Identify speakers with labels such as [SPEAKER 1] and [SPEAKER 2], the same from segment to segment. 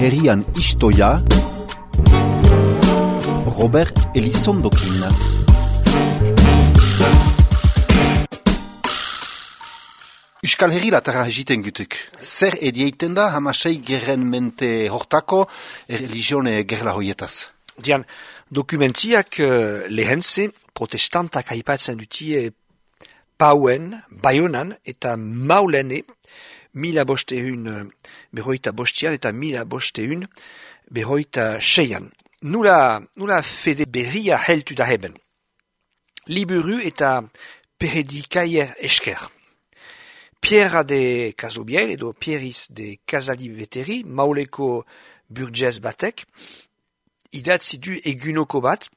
[SPEAKER 1] Herrian istoia Robert Elizondokin. Euskal Herrilatara egiten gutuk. Zer edieiten da hamasei gerren mente hortako religione gerla hoietaz?
[SPEAKER 2] Dian, dokumentiak lehentze protestantak aipatzen dutie Pauen, Baionan eta Maulene 1500 eta 1506. Nula fede berria heltu da heben. Liburu eta peredikaier esker. Pierra de Casobiel edo Pieris de Casaliveteri, Mauleko burgez batek, idatzi du egunoko bat,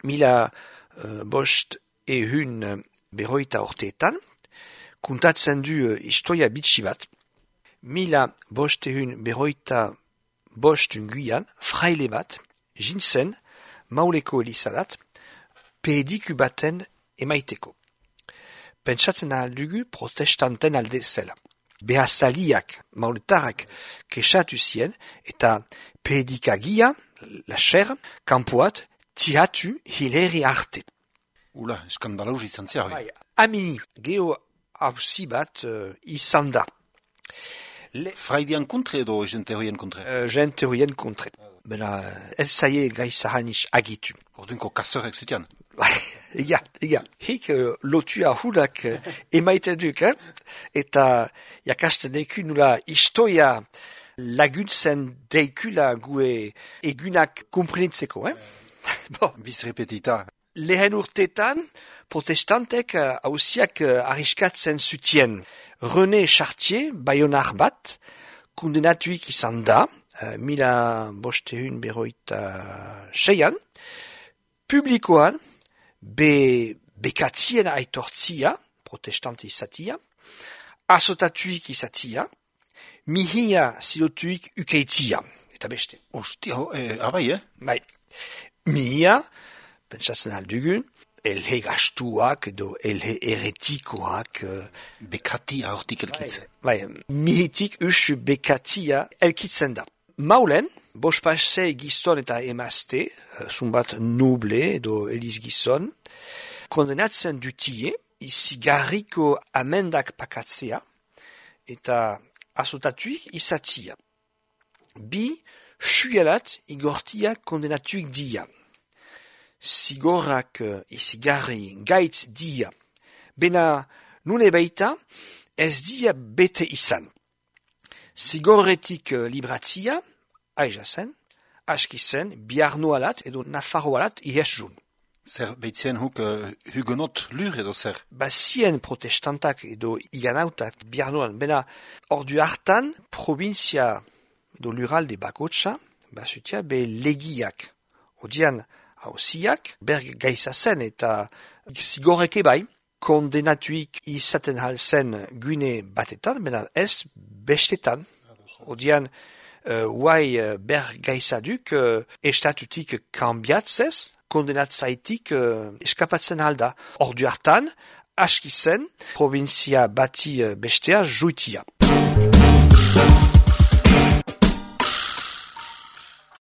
[SPEAKER 2] 1500 urteetan, kuntatzen du istoia bitxi bat, 1505 unguian, fraile bat, jintzen, Mauleko elizadat, pediku baten emaiteko. Pentsatzen aldugu protestanten alde zela. Behazaliak, mauletarak, kesatu zien, eta pedikagia, la cher, kanpoat, tiratu hileri arte.
[SPEAKER 1] Ula, eskandalauz izan zia hoi.
[SPEAKER 2] Amini, geho hausi bat izan da.
[SPEAKER 1] Fraidian kontre edo jente hoien kontre?
[SPEAKER 2] Jente hoien kontre. Bena, ez zaie gai zahaniz agitu.
[SPEAKER 1] Ordunko kasorek zutian?
[SPEAKER 2] Ega. Hik lotua hudak emaiten duk, eta jakasten deiku nula istoia laguntzen deikula gue egunak komprenitzeko, Bon.
[SPEAKER 1] Biz repetita.
[SPEAKER 2] Lehen urtetan, protestantek hausiak arriskatzen zutien. René Chartier, baionar bat, kondenatuik izan da, 1506an, publikoan, bekatzien aitortzia, protestant izatia, azotatuik izatia, mihia zilotuik ukeitzia, eta beste.
[SPEAKER 1] Ostia, abai,
[SPEAKER 2] Bai, mihia, pentsatzen aldugun, elhe gastuak edo elhe eretikoak.
[SPEAKER 1] Bekatia hortik elkitzen.
[SPEAKER 2] Bai, mihitik bekatia elkitzen da. Maulen, bospasei gizon eta emazte, zumbat noble edo eliz gizon, kondenatzen dutie, izigarriko amendak pakatzea, eta azotatuik izatia. Bi, suelat igortiak kondenatuik dia. Zigorrak izigarri gaitz dia. Bena, nune baita, ez dia bete izan. Zigorretik libratzia, aizazen, askizen, biarnoalat edo nafarroalat ihesjun.
[SPEAKER 1] Zer behitzen huk hugonot lur edo zer?
[SPEAKER 2] Bazien protestantak edo iganautak biarnoan, bena ordu hartan provinzia edo luralde bakotsa, bazutia be legiak. Odian hausiak, berg gaizazen eta zigorreke bai, kondenatuik izaten halzen gune batetan, bena ez bestetan. Odian, berg gaizaduk estatutik kambiatzez, kondenatzaitik eskapatzen alda. Ordu hartan, askizen, provinzia bati bestea juitia.